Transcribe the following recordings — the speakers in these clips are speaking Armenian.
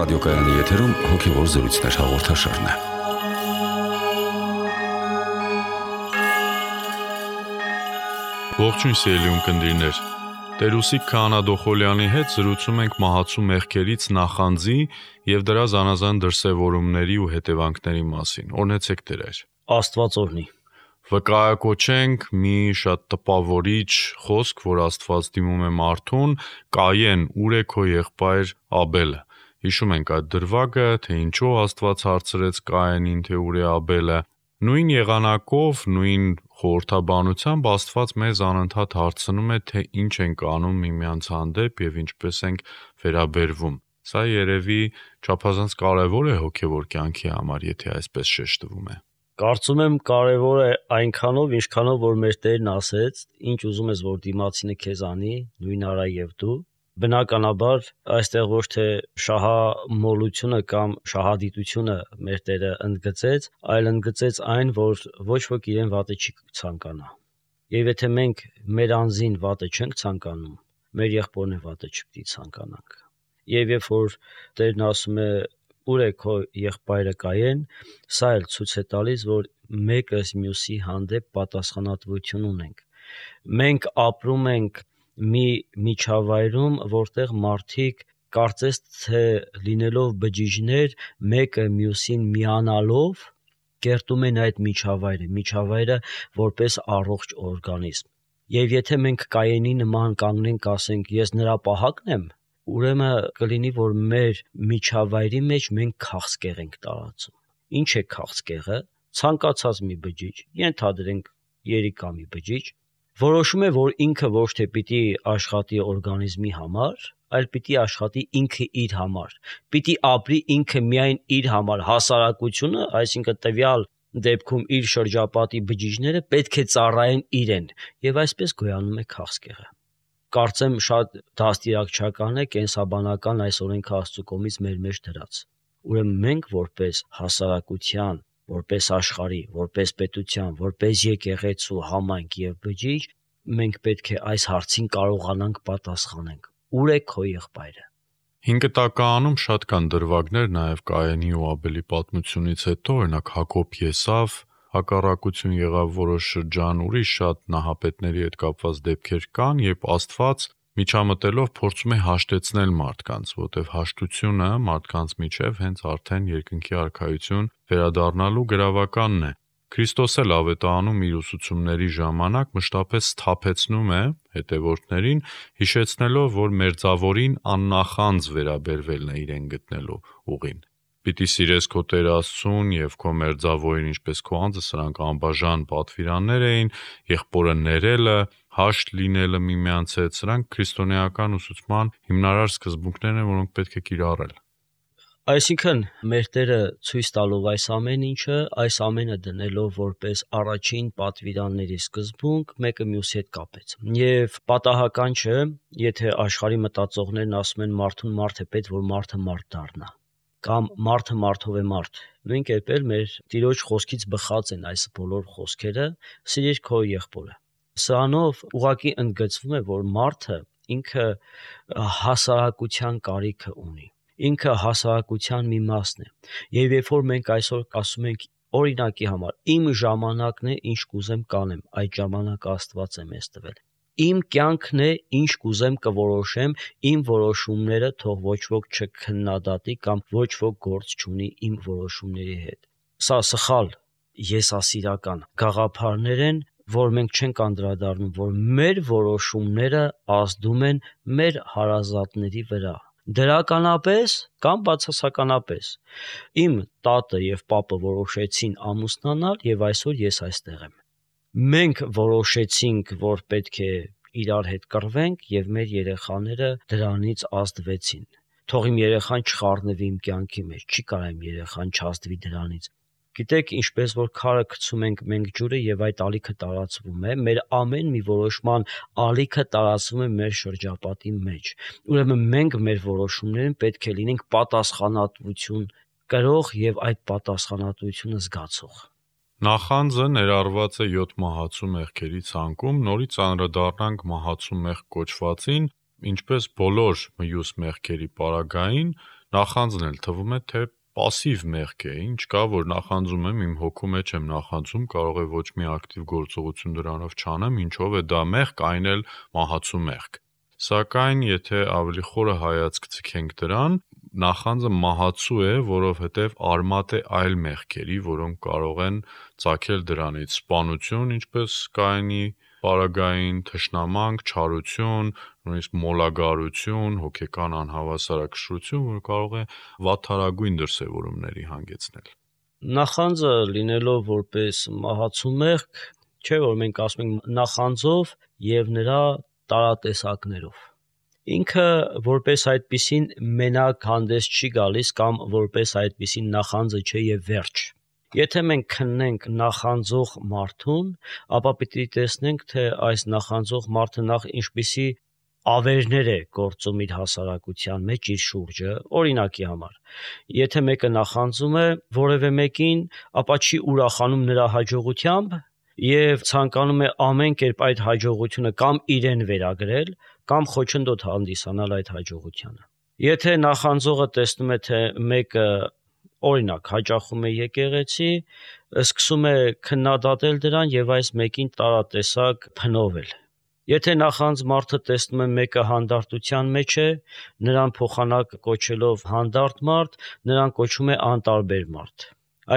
Ռադիոկայանի եթերում հոգևոր զրույցներ հաղորդաշարն է։ Ողջույն սիրելի ունկնդիրներ։ Տերուսիկ Քահանա Դոխոլյանի հետ զրուցում ենք մահացու մեղքերից նախանձի եւ դրա զանազան դրսեւորումների ու հետևանքների մասին։ Օրհնեցեք Տեր։ Աստված օրհնի։ Վկայակոչենք մի շատ տպավորիչ խոսք, որ Աստված դիմում է մարդուն. Կայեն, ուր է քո եղբայր Աբելը։ Հիշում ենք այդ դրվագը, թե ինչու Աստված հարցրեց Կայենին, թե ուր է Աբելը։ Նույն եղանակով, նույն խորհրդաբանությամբ Աստված մեզ անընդհատ հարցնում է, թե ինչ ենք անում միմյանց հանդեպ եւ ինչպես ենք վերաբերվում։ Սա երևի չափազանց կարևոր է հոգևոր կյանքի համար, եթե այսպես շեշտվում է։ Կարծում եմ կարևոր է այնքանով, ինչքանով որ մեր Տերն ասեց, ինչ ուզում ես որ դիմացինը քեզ անի, նույն արա եւ դու։ Բնականաբար այստեղ ոչ թե շահամոլությունը կամ շահադիտությունը մեր Տերը ընդգծեց, այլ ընդգծեց այն, որ ոչ ոք իրեն վատը չի ցանկանա։ Եվ եթե մենք մեր անձին վատը չենք ցանկանում, մեր եղբորն է վատը չպիտի ցանկանանք։ Եվ երբ որ Տերն ասում է ուր է քո եղբայրը Կայեն, սա էլ ցույց է տալիս, որ մեկը մյուսի հանդեպ պատասխանատվություն ունենք։ Մենք ապրում ենք մի միջավայրում, որտեղ մարդիկ կարծես թե լինելով բջիջներ, մեկը մյուսին միանալով կերտում են այդ միջավայրը որպես առողջ օրգանիզմ։ Եվ եթե մենք Կայենի նման կանգնենք, ասենք ես նրա պահակն եմ, ուրեմն կլինի, որ մեր միջավայրի մեջ մենք քաղցկեղ ենք տարածում։ Ինչ է քաղցկեղը։ Ցանկացած մի բջիջ, ենթադրենք երիկա մի բջիջ, որոշում է, որ ինքը ոչ թե պիտի աշխատի օրգանիզմի համար, այլ պիտի աշխատի ինքը իր համար։ Պիտի ապրի ինքը միայն իր համար։ Հասարակությունը, այսինքն տվյալ դեպքում իր շրջապատի բջիջները պետք է ծառայեն իրեն, եւ այսպես գոյանում է քաղցկեղը։ Կարծեմ շատ դաստիարակչական է կենսաբանական այս օրենքը Աստծո կողմից մեր մեջ դրած։ Ուրեմն մենք որպես հասարակության, որպես աշխարհի, որպես պետության, որպես եկեղեցու, համայնք եւ բջիջ, մենք պետք է այս հարցին կարողանանք պատասխանենք։ Ուր է քո եղբայրը։ 5 տականում շատ կան դրվագներ նաև Կայենի ու Աբելի պատմությունից հետո, օրինակ Հակոբ Եսավ, հակառակություն եղավ որոշ շրջան, ուրիշ շատ նահապետների հետ կապված դեպքեր կան, երբ Աստված միջամտելով փորձում է հաշտեցնել մարդկանց, որտեղ հաշտությունը մարդկանց միջև հենց արդեն երկնքի արքայություն վերադառնալու գրավականն է։ Քրիստոս էլ ավետարանում իր ուսուցումների ժամանակ մշտապես սթափեցնում է հետևորդներին, հիշեցնելով, որ մերձավորին աննախանձ վերաբերվելն է իրեն գտնելու ուղին։ Պիտի սիրես քո Տեր Աստծուն եւ քո մերձավորին ինչպես քո անձը, սրանք անբաժան պատվիրաններ էին, եղբորը ներելը, հաշտ լինելը միմյանց հետ, սրանք քրիստոնեական ուսուցման հիմնարար սկզբունքներն են, որոնք պետք է կիրառել։ Այսինքն մեր Տերը ցույց տալով այս ամեն ինչը, այս ամենը դնելով որպես առաջին պատվիրանների սկզբունք, մեկը մյուսի հետ կապեց։ Եվ պատահական չէ, եթե աշխարհի մտածողներն ասում են մարդուն մարդ է պետք, որ մարդը մարդ դառնա, կամ մարդը մարդով է մարդ։ Նույն կերպ էլ մեր Տիրոջ խոսքից բխած են այս բոլոր խոսքերը՝ սիրիր քո եղբորը։ Սրանով ուղղակի ընդգծվում է, որ մարդը ինքը հասարակության կարիքը ունի։ Ինքը հասարակության մի մասն է։ Եվ երբ որ մենք այսօր ասում ենք օրինակի համար, իմ ժամանակն է, ինչ կուզեմ կանեմ, այդ ժամանակը Աստված է մեզ տվել։ Իմ կյանքն է, ինչ կուզեմ կորոշեմ, իմ որոշումները թող ոչ ոք չքննադատի կամ ոչ ոք գործ չունի իմ որոշումների հետ։ Սա սխալ եսասիրական գաղափարներ են, որ մենք չենք անդրադառնում, որ մեր որոշումները ազդում են մեր հարազատների վրա։ Դրականապես կամ բացասականապես իմ տատը եւ պապը որոշեցին ամուսնանալ եւ այսօր ես այստեղ եմ։ Մենք որոշեցինք, որ պետք է իրար հետ կռվենք եւ մեր երեխաները դրանից ազդվեցին։ Թող իմ երեխան չխառնվի իմ կյանքի մեջ, չի կարող իմ երեխան չազդվի դրանից։ Գիտեք, ինչպես որ քարը գցում ենք մենք ջուրը եւ այդ ալիքը տարածվում է, մեր ամեն մի որոշման ալիքը տարածվում է մեր շրջապատի մեջ։ Ուրեմն մենք մեր որոշումներին պետք է լինենք պատասխանատվություն կրող եւ այդ պատասխանատվությունը զգացող։ Նախանձը ներառված է 7 մահացու մեղքերի ցանկում, նորից անդրադառնանք մահացու մեղք կոչվածին, ինչպես բոլոր մյուս մեղքերի պարագային, նախանձն էլ թվում է թե пассив մեղք է, ինչ կա, որ նախանձում եմ, իմ հոգու մեջ եմ նախանձում, կարող է ոչ մի ակտիվ գործողություն դրանով չանեմ, ինչով է դա մեղք, այն էլ մահացու մեղք։ Սակայն եթե ավելի խորը հայացք ցկենք դրան, նախանձը մահացու է, որովհետև արմատ է այլ մեղքերի, որոնք կարող են ծագել դրանից սպանություն, ինչպես Կայենի պարագային, թշնամանք, չարություն, նույնիսկ մոլագարություն, հոգեկան անհավասարակշռություն, որ կարող է վատթարագույն դրսևորումների հանգեցնել։ Նախանձը լինելով որպես մահացու մեղք, չէ որ մենք ասում ենք նախանձով եւ նրա տարատեսակներով։ Ինքը որպես այդպիսին մենակ հանդես չի գալիս կամ որպես այդպիսին նախանձը չէ եւ վերջ։ Եթե մենք քննենք նախանձող մարդուն, ապա պիտի տեսնենք, թե այս նախանձող մարդը նախ ինչպիսի ավերներ է գործում իր հասարակության մեջ, իր շուրջը, օրինակի համար։ Եթե մեկը նախանձում է որևէ մեկին, ապա չի ուրախանում նրա հաջողությամբ եւ ցանկանում է ամեն կերպ այդ հաջողությունը կամ իրեն վերագրել, կամ խոչընդոտ հանդիսանալ այդ հաջողությանը։ Եթե նախանձողը տեսնում է, թե մեկը օրինակ հաճախում է եկեղեցի, սկսում է քննադատել դրան եւ այս մեկին տարատեսակ փնովել։ Եթե նախանձ մարդը տեսնում է մեկը հանդարտության մեջ է, նրան փոխանակ կոչելով հանդարտ մարդ, նրան կոչում է անտարբեր մարդ։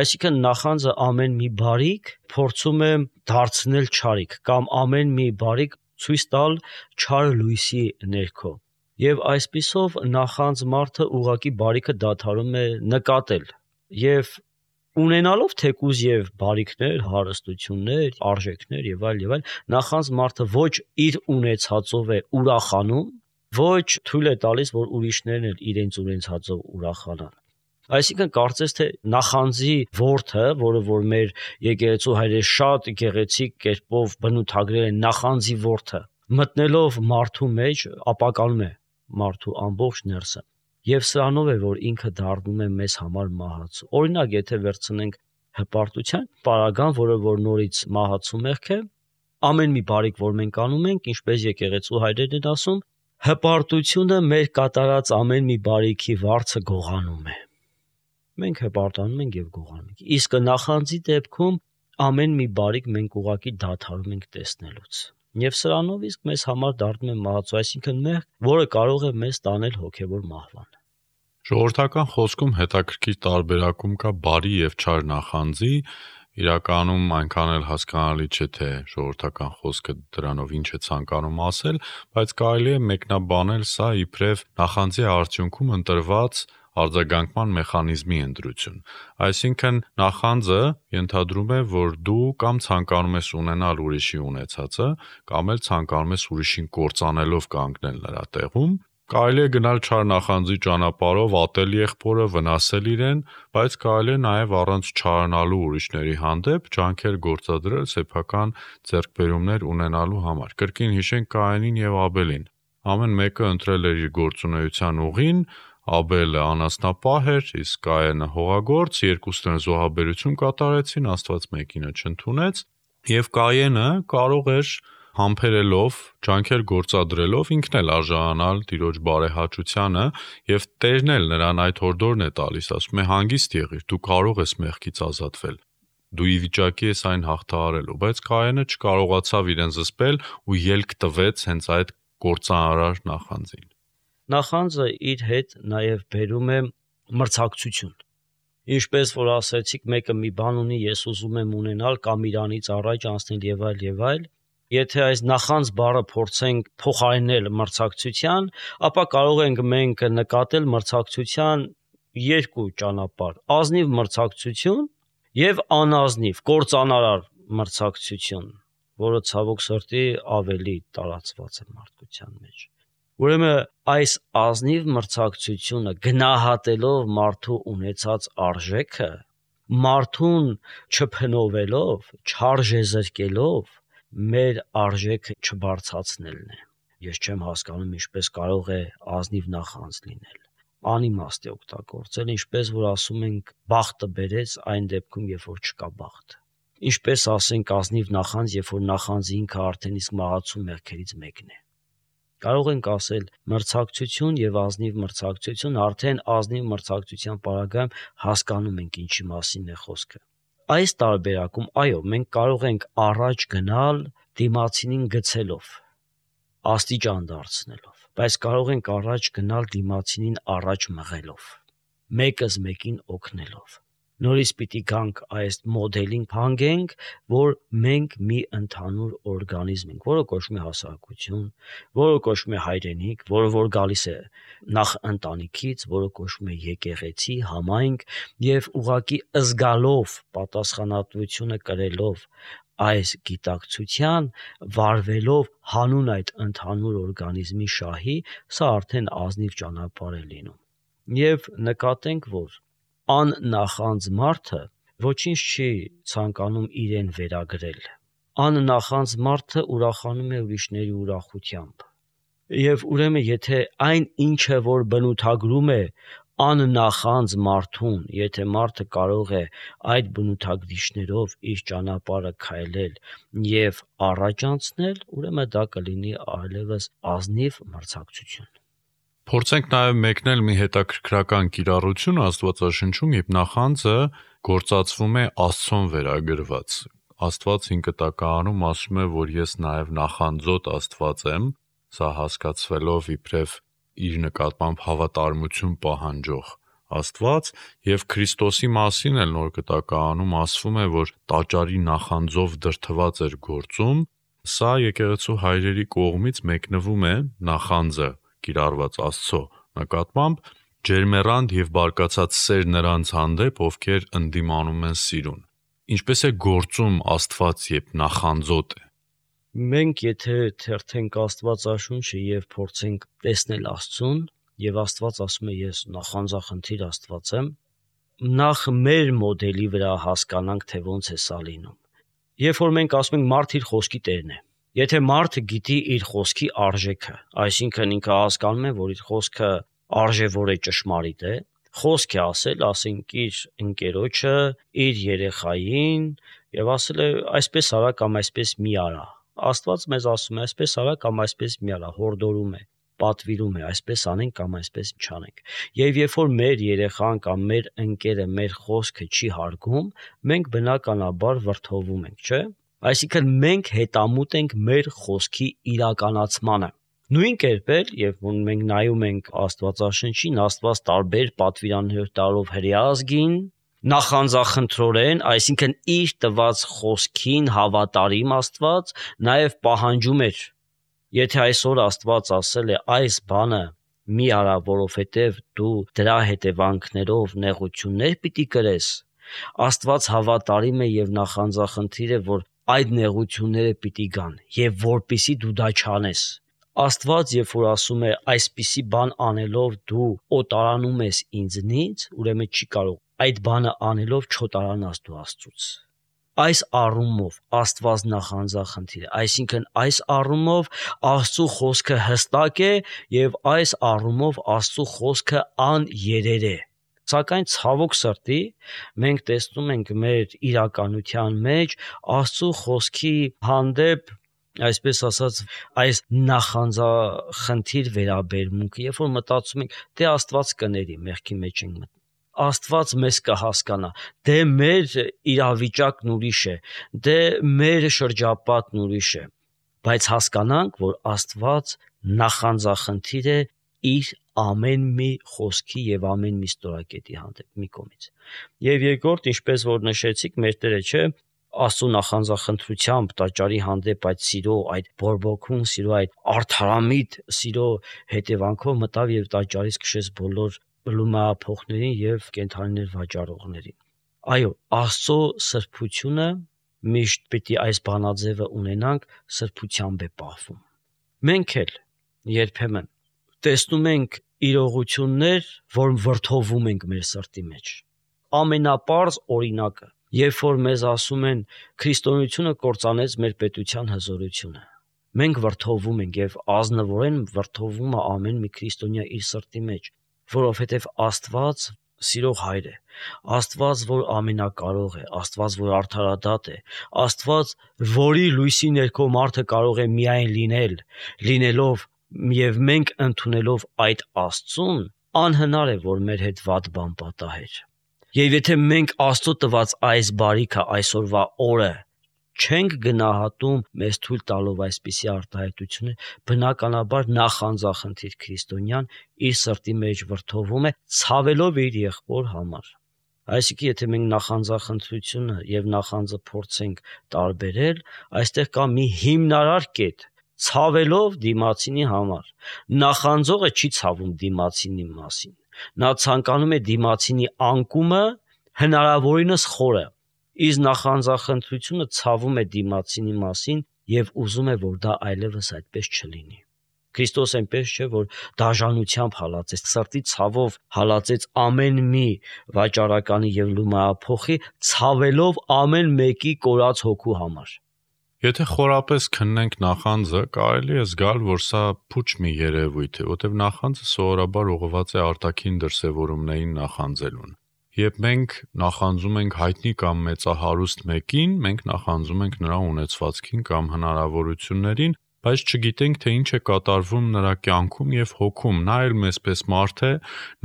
Այսինքն նախանձը ամեն մի բարիք փորձում է դարձնել չարիք կամ ամեն մի բարիք ցույց տալ չար լույսի ներքո։ Եվ այսպիսով նախանձ մարդը ուղղակի բարիքը դադարում է նկատել եւ ունենալով թեկուզ եւ բարիքներ, հարստություններ, արժեքներ եւ այլ, նախանձ մարդը ոչ իր ունեցածով է ուրախանում, ոչ թույլ է տալիս, որ ուրիշներն էլ իրենց ունեցածով ուրախանան։ Այսինքն կարծես թե նախանձի որդը, որը որ մեր եկեղեցու հայրերը շատ գեղեցիկ կերպով բնութագրել են նախանձի որդը, մտնելով մարդու մեջ ապականում է մարդու ամբողջ ներսը։ Եվ սրանով է, որ ինքը դառնում է մեզ համար մահացու։ Օրինակ, եթե վերցնենք հպարտության պարագան, որը որ նորից մահացու մեղք է, ամեն մի բարիք, որ մենք անում ենք, ինչպես եկեղեցու հայրերն են ասում, հպարտությունը մեր կատարած ամեն մի բարիքի վարձը գողանում է։ Մենք հպարտանում ենք եւ գողանում ենք։ Իսկ նախանձի դեպքում ամեն մի բարիք մենք ուղղակի դադարում ենք տեսնելուց։ Եվ սրանով իսկ մեզ համար դառնում է մահացու, այսինքն մեղք, որը կարող է մեզ տանել հոգևոր մահվան։ Ժողովրդական խոսքում հետաքրքիր տարբերակում կա բարի եւ չար նախանձի, իրականում այնքան էլ հասկանալի չէ, թե ժողովրդական խոսքը դրանով ինչ է ցանկանում ասել, բայց կարելի է մեկնաբանել սա իբրև նախանձի արդյունքում ընտրված արձագանքման մեխանիզմի ընտրություն։ Այսինքն նախանձը ենթադրում է, որ դու կամ ցանկանում ես ունենալ ուրիշի ունեցածը, կամ էլ ցանկանում ես ուրիշին կործանելով կանգնել նրա տեղում։ Կարելի է գնալ չար նախանձի ճանապարհով, ատել եղբորը, վնասել իրեն, բայց կարելի է նաև առանց չարանալու ուրիշների հանդեպ ջանքեր գործադրել սեփական ձեռքբերումներ ունենալու համար։ Կրկին հիշենք Կայենին եւ Աբելին։ Ամեն մեկը ընտրել էր իր գործունեության ուղին, Աբելը անասնապահ էր, իսկ Կայենը հողագործ, երկուսն էլ զոհաբերություն կատարեցին, Աստված մեկինը չընդունեց, եւ Կայենը կարող էր համբերելով, ջանքեր գործադրելով ինքն էլ արժանանալ Տիրոջ բարեհաճությանը եւ Տերն էլ նրան այդ հորդորն է տալիս, ասում է հանգիստ եղիր, դու կարող ես մեղքից ազատվել։ Դու ի վիճակի ես այն հաղթահարելու, բայց Կայենը չկարողացավ իրեն զսպել ու ելք տվեց հենց այդ կործանարար նախանձին։ Նախանձը իր հետ նաև բերում է մրցակցություն։ Ինչպես որ ասացիք, մեկը մի բան ունի, ես ուզում եմ ունենալ կամ իրանից առաջ անցնել եւ այլ, եթե այս նախանձ բառը փորձենք փոխարինել մրցակցության, ապա կարող ենք մենք նկատել մրցակցության երկու ճանապարհ՝ ազնիվ մրցակցություն եւ անազնիվ կործանարար մրցակցություն, որը ցավոք սրտի ավելի տարածված է մարդկության մեջ։ Ուրեմն այս ազնիվ մրցակցությունը գնահատելով մարդու ունեցած արժեքը, մարդուն չփնովելով, չարժեզրկելով, մեր արժեքը չբարձրացնելն է։ Ես չեմ հասկանում ինչպես կարող է ազնիվ նախանձ լինել, անիմաստ է օգտագործել, ինչպես որ ասում ենք բախտը բերեց այն դեպքում, երբ որ չկա բախտ։ Ինչպես ասենք ազնիվ նախանձ, երբ որ նախանձը ինքը արդեն իսկ մահացու մեղքերից մեկն է։ Կարող ենք ասել մրցակցություն եւ ազնիվ մրցակցություն, արդեն ազնիվ մրցակցության պարագայում հասկանում ենք ինչի մասին է խոսքը։ Այս տարբերակում, այո, մենք կարող ենք առաջ գնալ դիմացինին գցելով, աստիճան դարձնելով, բայց կարող ենք առաջ գնալ դիմացինին առաջ մղելով, մեկս մեկին օգնելով։ Նորից պիտի գանք այս մոդելին հանգենք, որ մենք մի ընդհանուր օրգանիզմ ենք, որը կոչվում է հասարակություն, որը կոչվում է հայրենիք, որը որ գալիս է նախ ընտանիքից, որը կոչվում է եկեղեցի, համայնք, եւ ուղղակի զգալով, պատասխանատվությունը կրելով այս գիտակցության, վարվելով հանուն այդ ընդհանուր օրգանիզմի շահի, սա արդեն ազնիվ ճանապարհ է լինում։ Եվ նկատենք, որ աննախանձ մարդը ոչինչ չի ցանկանում իրեն վերագրել։ Աննախանձ մարդը ուրախանում է ուրիշների ուրախությամբ։ Եվ ուրեմն եթե այն ինչը որ բնութագրում է աննախանձ մարդուն, եթե մարդը կարող է այդ բնութագրիչներով իր ճանապարհը քայլել եւ առաջ անցնել, ուրեմն դա կլինի այլևս ազնիվ մրցակցություն։ Փորձենք նաև մեկնել մի հետաքրքրական կիրառություն Աստվածաշնչում, երբ նախանձը գործածվում է Աստծուն վերագրված։ Աստված ինքնատականում ասում է, որ ես նաև նախանձոտ Աստված եմ, սա հասկացվելով իբրև իր նկատմամբ հավատարմություն պահանջող Աստված, եւ Քրիստոսի մասին էլ Նոր Կտակարանում ասվում է, որ տաճարի նախանձով դրդված էր գործում, սա եկեղեցու հայրերի կողմից մեկնվում է նախանձը կիրառված Աստծո նկատմամբ ջերմեռանդ եւ բարկացած սեր նրանց հանդեպ, ովքեր ընդդիմանում են սիրուն։ Ինչպես է գործում Աստված, երբ նախանձոտ է։ Մենք եթե թերթենք Աստվածաշունչը եւ փորձենք տեսնել Աստծուն, եւ Աստված ասում է ես նախանձախնդիր Աստված եմ, նախ մեր մոդելի վրա հասկանանք, թե ոնց է սա լինում։ Երբ որ մենք ասում ենք մարդ իր խոսքի տերն է, եթե մարդը գիտի իր խոսքի արժեքը, այսինքն ինքը հասկանում է, որ իր խոսքը արժևոր է, ճշմարիտ է, խոսք է ասել, ասենք իր ընկերոջը, իր երեխային եւ ասել է այսպես արա կամ այսպես մի արա։ Աստված մեզ ասում է այսպես արա կամ այսպես մի արա, հորդորում է, պատվիրում է, այսպես անենք կամ այսպես չանենք։ Եվ երբ որ մեր երեխան կամ մեր ընկերը մեր խոսքը չի հարգում, մենք բնականաբար վրդովում ենք, չէ՞։ Այսինքն մենք հետամուտ ենք մեր խոսքի իրականացմանը։ Նույն կերպ երբ մենք նայում ենք Աստվածաշնչին, Աստված տարբեր պատվիրաններ տալով հրեազգին, նախանձախնդրորեն, այսինքն իր տված խոսքին հավատարիմ Աստված նաև պահանջում էր, եթե այսօր Աստված ասել է այս բանը մի արա, որովհետև դու դրա հետևանքներով նեղություններ պիտի կրես, Աստված հավատարիմ է եւ նախանձախնդիր է, որ այդ նեղությունները պիտի գան եւ որպիսի դու դա չանես։ Աստված երբ որ ասում է այսպիսի բան անելով դու օտարանում ես ինձնից, ուրեմն չի կարող այդ բանը անելով չօտարանաս դու Աստծուց։ Այս առումով Աստված նախանձախնդիր է, այսինքն այս առումով Աստծո խոսքը հստակ է եւ այս առումով Աստծո խոսքը աներեր է։ Սակայն ցավոք սրտի մենք տեսնում ենք մեր իրականության մեջ Աստծո խոսքի հանդեպ, այսպես ասած, այս նախանձախնդիր վերաբերմունքը, երբ որ մտածում ենք, դե Աստված կների, մեղքի մեջ ենք մտնում։ Աստված մեզ կհասկանա, դե մեր իրավիճակն ուրիշ է, դե մեր շրջապատն ուրիշ է, բայց հասկանանք, որ Աստված նախանձախնդիր է իր ամեն մի խոսքի եւ ամեն մի ստորակետի հանդեպ մի կողմից։ Եվ երկրորդ, ինչպես որ նշեցիք, մեր Տերը չէ, Աստծո նախանձախնդրությամբ տաճարի հանդեպ այդ սիրո, այդ բորբոքուն սիրո, այդ արդարամիտ սիրո հետևանքով մտավ եւ տաճարից քշեց բոլոր լումահափոխներին եւ կենդանիներ վաճառողներին։ Այո, Աստծո սրբությունը միշտ պիտի այս բանաձևը ունենանք, սրբությամբ է պահվում։ Մենք էլ երբեմն տեսնում ենք իրողություններ, որ վրդովում ենք մեր սրտի մեջ։ Ամենապարզ օրինակը, երբ որ մեզ ասում են քրիստոնեությունը կործանեց մեր պետության հզորությունը, մենք վրդովում ենք եւ ազնվորեն վրդովում է ամեն մի քրիստոնյա իր սրտի մեջ, որովհետեւ Աստված սիրող հայր է, Աստված, որ ամենակարող է, Աստված, որ արդարադատ է, Աստված, որի լույսի ներքո մարդը կարող է միայն լինելով եւ մենք ընդունելով այդ Աստծուն անհնար է որ մեր հետ վատ բան պատահեր։ Եվ եթե մենք Աստծո տված այս բարիքը այսօրվա օրը չենք գնահատում մեզ թույլ տալով այսպիսի արտահայտություններ, բնականաբար նախանձախնդիր քրիստոնյան իր սրտի մեջ վրդովում է ցավելով իր եղբոր համար։ Այսինքն եթե մենք նախանձախնդրությունը եւ նախանձը փորձենք տարբերել, այստեղ կա մի հիմնարար կետ՝ ցավելով դիմացինի համար։ Նախանձողը չի ցավում դիմացինի մասին։ Նա ցանկանում է դիմացինի անկումը հնարավորինս խորը։ Իսկ նախանձախնդրությունը ցավում է դիմացինի մասին եւ ուզում է որ դա այլևս այդպես չլինի։ Քրիստոս այնպես չէ որ դաժանությամբ հալածեց, սրտի ցավով հալածեց ամեն մի վաճառականի եւ լումայափոխի, ցավելով ամեն մեկի կորած հոգու համար։ Եթե խորապես քննենք նախանձը, կարելի է զգալ, որ սա փուչ մի երևույթ է, որտեղ նախանձը սովորաբար ուղղված է արտաքին դրսևորումներին նախանձելուն։ Երբ մենք նախանձում ենք հայտնի կամ մեծահարուստ մեկին, մենք նախանձում ենք նրա ունեցվածքին կամ հնարավորություններին, բայց չգիտենք, թե ինչ է կատարվում նրա կյանքում եւ հոգում։ Նա էլ մեզպես մարդ է,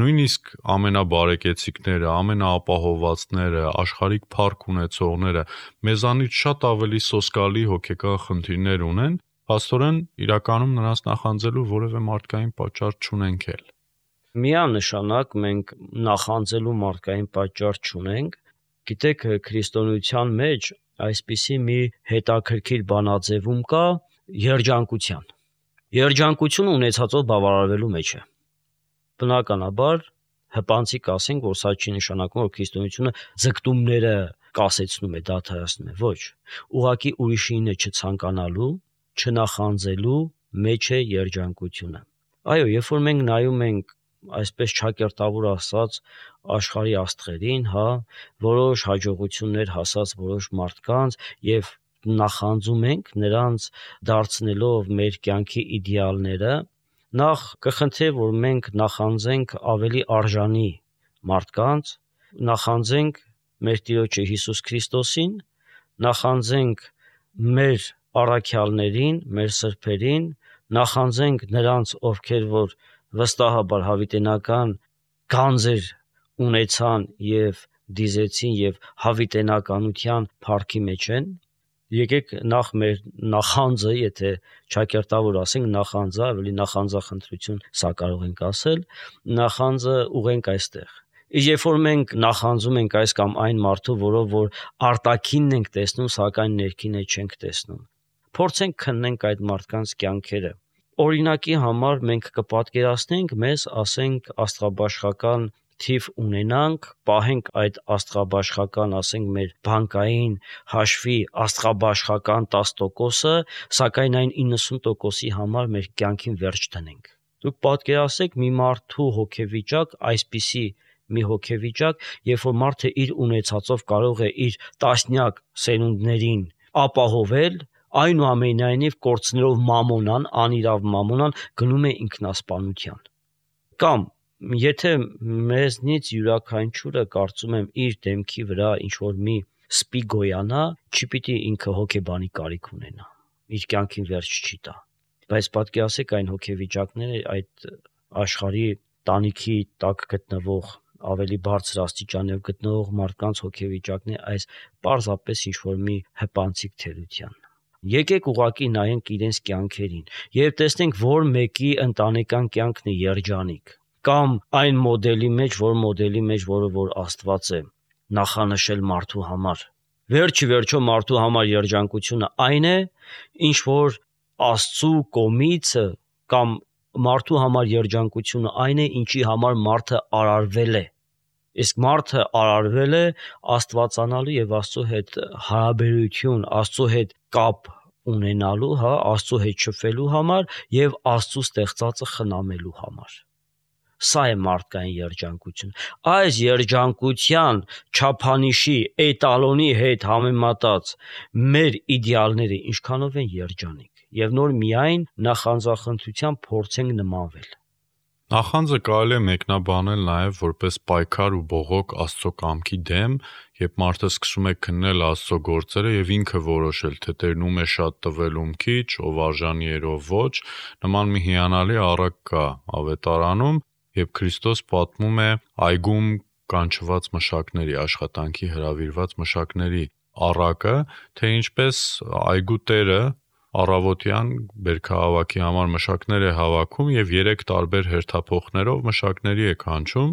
նույնիսկ ամենաբարեկեցիկները, ամենաապահովվածները, աշխարհիկ փառք ունեցողները մեզանից շատ ավելի սոսկալի հոգեկան խնդիրներ ունեն, փաստորեն իրականում նրանց նախանձելու որևէ մարդկային պատճառ չունենք էլ։ Միանշանակ մենք նախանձելու մարդկային պատճառ չունենք։ Գիտեք, քրիստոնեության մեջ այսպիսի մի հետաքրքիր բանաձևում կա երջանկության։ Երջանկությունը ունեցածով բավարարվելու մեջ է։ Բնականաբար հպանցիկ ասենք, որ սա չի նշանակում, որ քրիստոնեությունը ձգտումները կասեցնում է, դադարեցնում է, ոչ։ Ուղղակի ուրիշինը չցանկանալու, չնախանձելու մեջ է երջանկությունը։ Այո, երբ որ մենք նայում ենք այսպես ճակերտավոր ասած աշխարհի աստղերին, որոշ հաջողություններ հասած որոշ մարդկանց եւ նախանձում ենք նրանց դարձնելով մեր կյանքի իդեալները, նախ կխնդրեմ որ մենք նախանձենք ավելի արժանի մարդկանց, նախանձենք մեր Տիրոջը Հիսուս Քրիստոսին, նախանձենք մեր առաքյալներին, մեր սրբերին, նախանձենք նրանց, ովքեր որ վստահաբար հավիտենական գանձեր ունեցան եւ դիզեցին եւ հավիտենականության փառքի մեջ են։ Եկեք նախ մեր նախանձը, եթե ճակերտավոր ասենք նախանձը, ավելի նախանձախնդրություն սա կարող ենք ասել, նախանձը ուղենք այստեղ։ Իսկ երբ որ մենք նախանձում ենք այս կամ այն մարդու, որով որ արտաքինն ենք տեսնում, սակայն ներքինը չենք տեսնում, փորձենք քննենք այդ մարդկանց կյանքերը։ Օրինակի համար մենք կպատկերացնենք մեզ, ասենք, աստղաբաշխական թիվ ունենանք, պահենք այդ աստղաբաշխական, ասենք, մեր բանկային հաշվի աստղաբաշխական 10%-ը, սակայն այն 90%-ի համար մեր կյանքին վերջ դնենք։ Դուք պատկերացրեք մի մարդու հոգեվիճակ, այսպիսի մի հոգեվիճակ, երբ որ մարդը իր ունեցածով կարող է իր տասնյակ սերունդներին ապահովել, այնուամենայնիվ կորցնելով մամոնան, անիրավ մամոնան գնում է ինքնասպանության։ Կամ եթե մեզնից յուրաքանչյուրը կարծում եմ իր դեմքի վրա ինչ որ մի սպի գոյանա, չի պիտի ինքը հոգեբանի կարիք ունենա, իր կյանքին վերջ չի տա։ Բայց պատկերացրեք այն հոգեվիճակները, այդ աշխարհի տանիքի տակ գտնվող ավելի բարձր աստիճանով գտնվող մարդկանց հոգեվիճակն է այս պարզապես ինչ որ մի հպանցիկ թերության։ Եկեք ուղակի նայենք իրենց կյանքերին եւ տեսնենք որ մեկի ընտանեկան կյանքն է երջանիկ կամ այն մոդելի մեջ, որը որ Աստված է նախանշել մարդու համար։ Վերջի մարդու համար երջանկությունը այն է, ինչ որ Աստծու կողմից կամ մարդու համար երջանկությունը այն է, ինչի համար մարդը արարվել է։ Իսկ մարդը արարվել է Աստվածանալու եւ Աստծո հետ հարաբերություն, Աստծո հետ կապ ունենալու, Աստծո հետ շփվելու համար եւ Աստծո ստեղծածը խնամելու համար։ Սա է մարդկային երջանկությունը։ Այս երջանկության չափանիշի էտալոնի հետ համեմատած մեր իդեալները ինչքանով են երջանիկ եւ նոր միայն նախանձախնդրությամբ փորձենք նմանվել։ Նախանձը կարելի է մեկնաբանել նաև որպես պայքար ու բողոք Աստծո կամքի դեմ, երբ մարդը սկսում է քննել Աստծո գործերը եւ ինքը որոշել, թե Տերն ում է շատ տվել, ում քիչ, ով արժանի էր, ով ոչ, նման մի հիանալի առակ կա Ավետարանում, երբ Քրիստոս պատմում է այգում կանչված մշակների, աշխատանքի հրավիրված մշակների առակը, թե ինչպես այգու տերը առավոտյան բերքահավաքի համար մշակներ է հավաքում եւ 3 տարբեր հերթափոխներով մշակների է կանչում,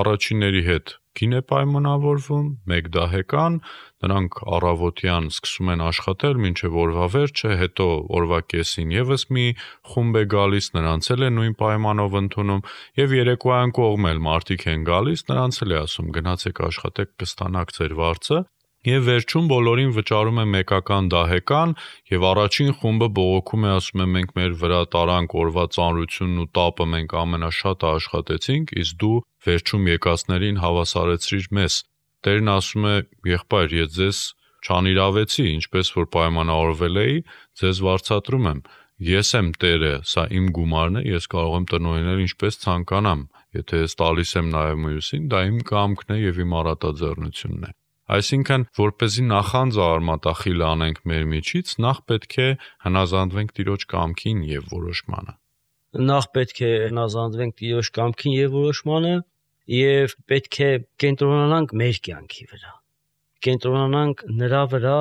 առաջինների հետ գին է պայմանավորվում, 1 դահեկան, նրանք առավոտյան սկսում են աշխատել մինչև օրվա վերջը, հետո օրվա կեսին եւս մի խումբ է գալիս, նրանց էլ է նույն պայմանով ընդունում եւ երեկոյան կողմել մարդիկ են գալիս, նրանց էլ է ասում գնացեք աշխատեք կստանաք ձեր վարձը Եվ վերջում բոլորին վճարում է մեկական դահեկան եւ առաջին խումբը բողոքում է ասում է մենք մեր վրա տարանք օրվա ծանրությունն ու տապը մենք ամենաշատը աշխատեցինք, իսկ դու վերջում եկածներին հավասարեցրիր մեզ։ Տերն ասում է եղբայր, ես ձեզ չանիրավեցի, ինչպես որ պայմանավորվել էի, ձեզ վարձատրում եմ։ Ես եմ Տերը, սա իմ գումարն է, ես կարող եմ տնօրինել ինչպես ցանկանամ։ Եթե ես տալիս եմ նաեւ մյուսին, դա իմ կամքն է եւ իմ առատաձեռնությունն է։ Այսինքն, որպեսզի նախանձը արմատախիլ անենք մեր միջից, նախ պետք է հնազանդվենք Տիրոջ կամքին եւ որոշմանը։ Նախ պետք է հնազանդվենք Տիրոջ կամքին եւ որոշմանը եւ պետք է կենտրոնանանք մեր կյանքի վրա։ Կենտրոնանանք նրա վրա,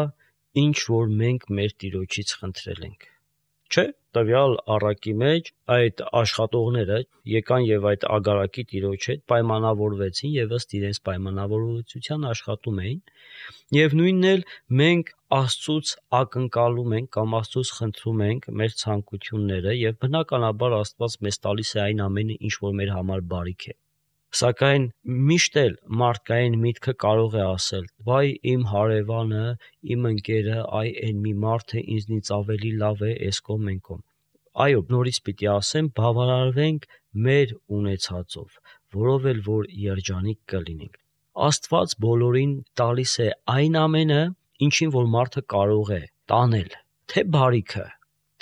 ինչ որ մենք մեր Տիրոջից խնդրել ենք։ Չէ, տվյալ առակի մեջ այդ աշխատողները եկան եւ այդ ագարակի Տիրոջ հետ պայմանավորվեցին եւ ըստ իրենց պայմանավորվածության աշխատում էին եւ նույնն էլ մենք Աստծուց ակնկալում ենք կամ Աստծուց խնդրում ենք մեր ցանկությունները եւ բնականաբար Աստված մեզ տալիս է այն ամենը, ինչ որ մեր համար բարիք է։ Սակայն միշտ էլ մարդկային միտքը կարող է ասել. «Վայ իմ հարևանը, իմ ընկերը, այ այն մի մարդը ինձնից ավելի լավ է էս կողմ են կողմ»։ Այո, նորից պիտի ասեմ, բավարարվենք մեր ունեցածով, որով էլ որ երջանիկ կլինենք։ Աստված բոլորին տալիս է այն ամենը, ինչին որ մարդը կարող է տանել, թե բարիքը,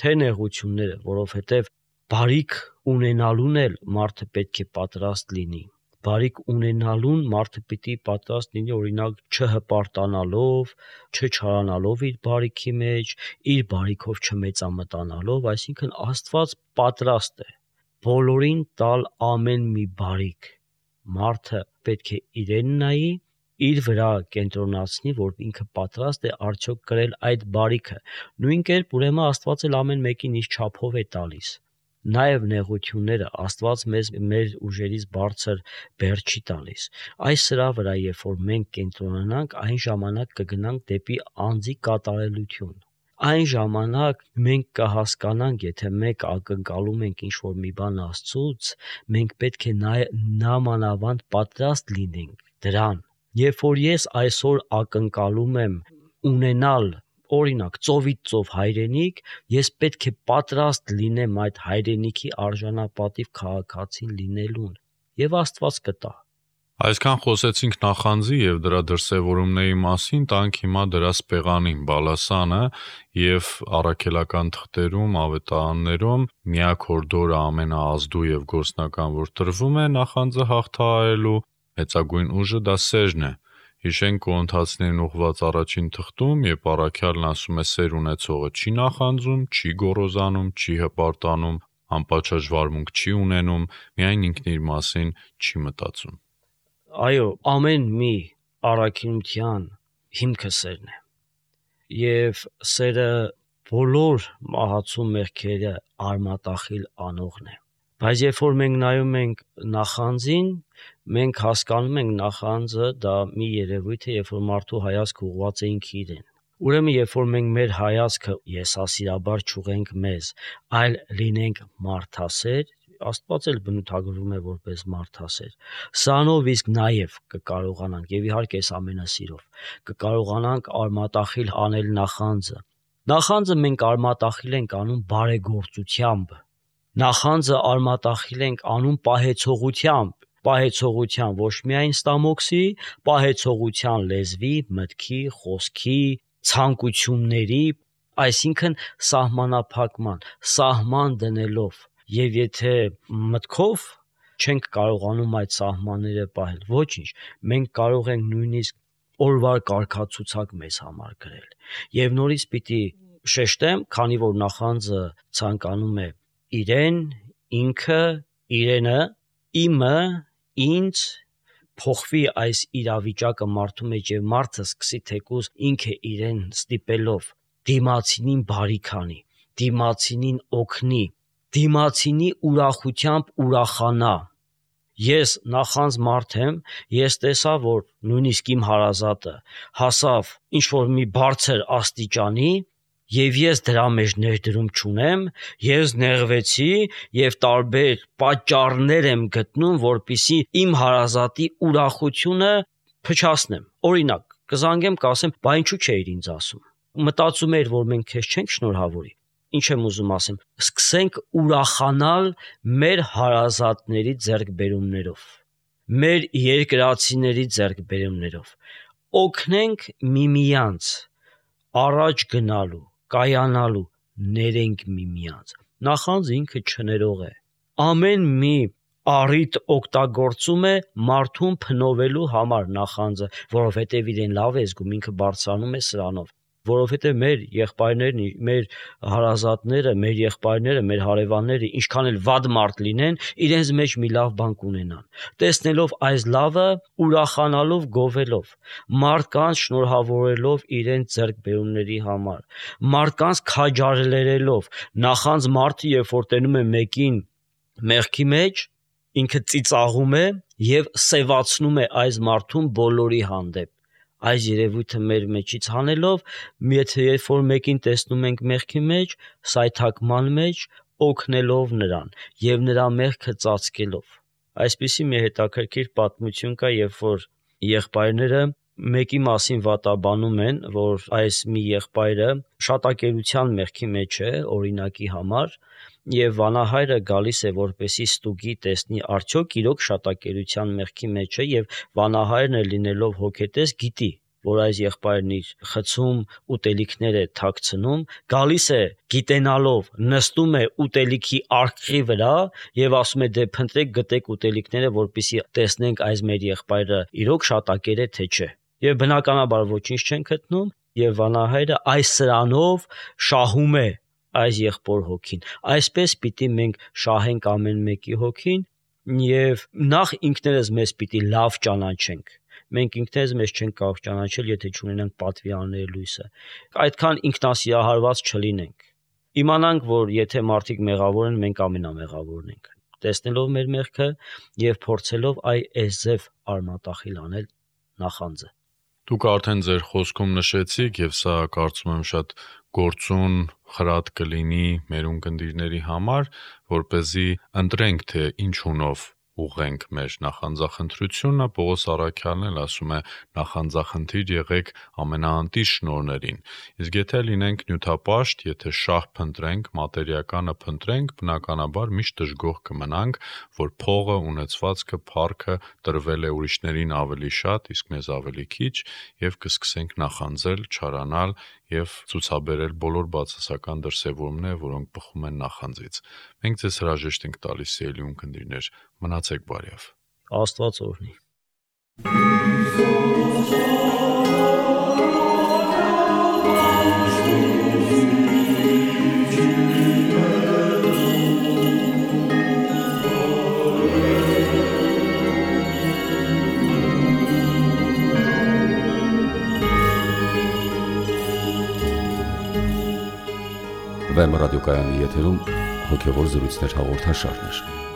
թե նեղությունները, որովհետև բարիք ունենալուն էլ մարդը պետք է պատրաստ լինի։ Բարիք ունենալուն մարդը պիտի պատրաստ լինի օրինակ չհպարտանալով, չչարանալով իր բարիքի մեջ, իր բարիքով չմեծամտանալով, այսինքն Աստված պատրաստ է բոլորին տալ ամեն մի բարիք։ Մարդը պետք է իրեն նայի, իր վրա կենտրոնացնի, որ ինքը պատրաստ է արդյոք կրել այդ բարիքը։ Նույն կերպ ուրեմն Աստված էլ ամեն մեկին իր չափով է տալիս։ Նաև նեղությունները Աստված մեզ մեր ուժերից բարձր բեռ չի տալիս։ Այս սրա վրա երբ որ մենք կենտրոնանանք, այն ժամանակ կգնանք դեպի անձի կատարելություն։ Այն ժամանակ մենք կհասկանանք, եթե մեկ ակնկալում ենք ինչ-որ մի բան Աստծուց, մենք պետք է նամանավանդ պատրաստ լինենք դրան։ Երբ որ ես այսօր ակնկալում եմ ունենալ օրինակ ծովից ծով հայրենիք, ես պետք է պատրաստ լինեմ այդ հայրենիքի արժանապատիվ քաղաքացին լինելուն, եւ Աստված կտա։ Այսքան խոսեցինք նախանձի եւ դրա դրսեւորումների մասին, տանք հիմա դրա սպեղանին, բալասանը եւ առաքելական թղթերում, ավետարաններում միակ հորդորը ամենաազդու եւ գործնական, որ տրվում է նախանձը հաղթահարելու, մեծագույն ուժը դա սերն է։ Հիշենք Կորինթացիներին ուղված առաջին թղթում, երբ առաքյալն ասում է սեր ունեցողը չի նախանձում, չի գոռոզանում, չի հպարտանում, անպատշաճ վարմունք չի ունենում, միայն ինքն իր մասին չի մտածում։ Այո, ամեն մի առաքինության հիմքը սերն է։ Եվ սերը բոլոր մահացու մեղքերը արմատախիլ անողն է։ Բայց երբ որ մենք նայում ենք նախանձին, մենք հասկանում ենք նախանձը դա մի երևույթ է, երբ որ մարդու հայացքը ուղղված է ինքը իրեն։ Ուրեմն երբ որ մենք մեր հայացքը եսասիրաբար չուղենք մեզ, այլ լինենք մարդասեր, Աստված էլ բնութագրվում է որպես մարդասեր։ Սրանով իսկ նաև կկարողանանք, եւ իհարկե այս ամենասիրով, կկարողանանք արմատախիլ անել նախանձը։ Նախանձը մենք արմատախիլ ենք անում բարեգործությամբ։ Նախանձը արմատախիլ ենք անում պահեցողությամբ ոչ միայն ստամոքսի, պահեցողության լեզվի, մտքի, խոսքի, ցանկությունների, այսինքն սահմանափակման, սահման դնելով։ Եվ եթե մտքով չենք կարողանում այդ սահմանները պահել։ Ոչինչ, մենք կարող ենք նույնիսկ օրվա կարգացուցակ մեզ համար գրել։ Եվ նորից պիտի շեշտեմ, քանի որ նախանձը ցանկանում է իրեն, ինքը, իրենը, իմը, ինձ փոխվի այս իրավիճակը մարդու մեջ եւ մարդը սկսի թեկուզ ինքը իրեն ստիպելով դիմացինին բարիք անի, դիմացինին օգնի, դիմացինի ուրախությամբ ուրախանա։ Ես նախանձ մարդ եմ, ես տեսա, որ նույնիսկ իմ հարազատը հասավ ինչ-որ մի բարձր աստիճանի եւ ես դրա մեջ ներդրում չունեմ, ես նեղվեցի եւ տարբեր պատճառներ եմ գտնում, որպիսի իմ հարազատի ուրախությունը փչացնեմ։ Օրինակ, կզանգեմ, կասեմ, բա ինչու չէիր ինձ ասում։ Մտածում էր, որ մենք քեզ չենք շնորհավորի։ Ինչ եմ ուզում ասեմ, սկսենք ուրախանալ մեր հարազատների ձեռքբերումներով, մեր երկրացիների ձեռքբերումներով, օգնենք միմյանց առաջ գնալու, կայանալու, ներենք միմյանց։ Նախանձ ինքը չներող է։ Ամեն մի առիթ օգտագործում է մարդուն փնովելու համար նախանձը, որովհետև իրեն լավ է զգում, ինքը բարձրանում է սրանով, որովհետև մեր եղբայրներն, մեր հարազատները, մեր եղբայրները, մեր հարևանները, ինչքան էլ վատ մարդ լինեն, իրենց մեջ մի լավ բան կունենան։ Տեսնելով այս լավը, ուրախանալով, գովելով, մարդկանց շնորհավորելով իրենց ձեռքբերումների համար, մարդկանց քաջալերելով, նախանձ մարդը, երբ որ տենում է մեկին մեղքի մեջ, ինքը ծիծաղում է եւ սեվացնում է այս մարդուն բոլորի հանդեպ։ Այս երևույթը մեր մեջից հանելով, եթե երբ որ մեկին տեսնում ենք մեղքի մեջ, սայթակման մեջ, օգնելով նրան եւ նրա մեղքը ծածկելով։ Այսպիսի մի հետաքրքիր պատմություն կա, երբ որ եղբայրները մեկի մասին վատաբանում են, որ այս մի եղբայրը շատակերության մեղքի մեջ է, օրինակի համար, եւ վանահայրը գալիս է որպեսի ստուգի տեսնի արդյոք իրոք շատակերության մեղքի մեջ է, եւ վանահայրն է լինելով հոգետես գիտի, որ այս եղբայրն իր խցում ուտելիքներ է թաքցնում, գալիս է գիտենալով, նստում է ուտելիքի արկղի վրա եւ ասում է դե փնտրեք գտեք ուտելիքները, որպեսի տեսնենք այս մեր եղբայրը իրոք շատակեր է թե չէ։ Եվ բնականաբար ոչինչ չեն գտնում եւ վանահայրը այս սրանով շահում է այս եղբոր հոգին։ Այսպես պիտի մենք շահենք ամեն մեկի հոգին եւ նախ ինքներս մեզ պիտի լավ ճանաչենք։ Մենք ինքներս մեզ չենք կարող ճանաչել, եթե չունենանք պատվի անելու լույսը։ Այդքան ինքնասիրահարված չլինենք։ Իմանանք, որ եթե մարդիկ մեղավոր են, մենք ամենամեղավորն ենք։ Տեսնելով մեր մեղքը եւ փորձելով այս ձև արմատախիլ անել նախանձը։ Դուք արդեն ձեր խոսքում նշեցիք եւ սա կարծում եմ շատ գործուն խրատ կլինի մեր ունկնդիրների համար, որպեսզի ընտրենք, թե ինչ ունով ուղենք մեր նախանձախնդրությունը։ Պողոս առաքյալն էլ ասում է նախանձախնդիր եղեք ամենաանտիր շնորհներին։ Իսկ եթե լինենք նյութապաշտ, եթե շահ փնտրենք, մատերիականը փնտրենք, բնականաբար միշտ դժգոհ կմնանք, որ փողը, ունեցվածքը, փառքը տրվել է ուրիշներին ավելի շատ, իսկ մեզ ավելի քիչ, եւ կսկսենք նախանձել, չարանալ եւ ցուցաբերել բոլոր բացասական դրսևորումները, որոնք բխում են նախանձից։ Մենք ձեզ հրաժեշտ ենք տալիս, սիրելի ունկնդիրներ, մնացեք բարյավ։ Աստված օրհնի։ Վեմ ռադիոկայանի եթերում հոգևոր զրույցներ հաղորդաշարներ։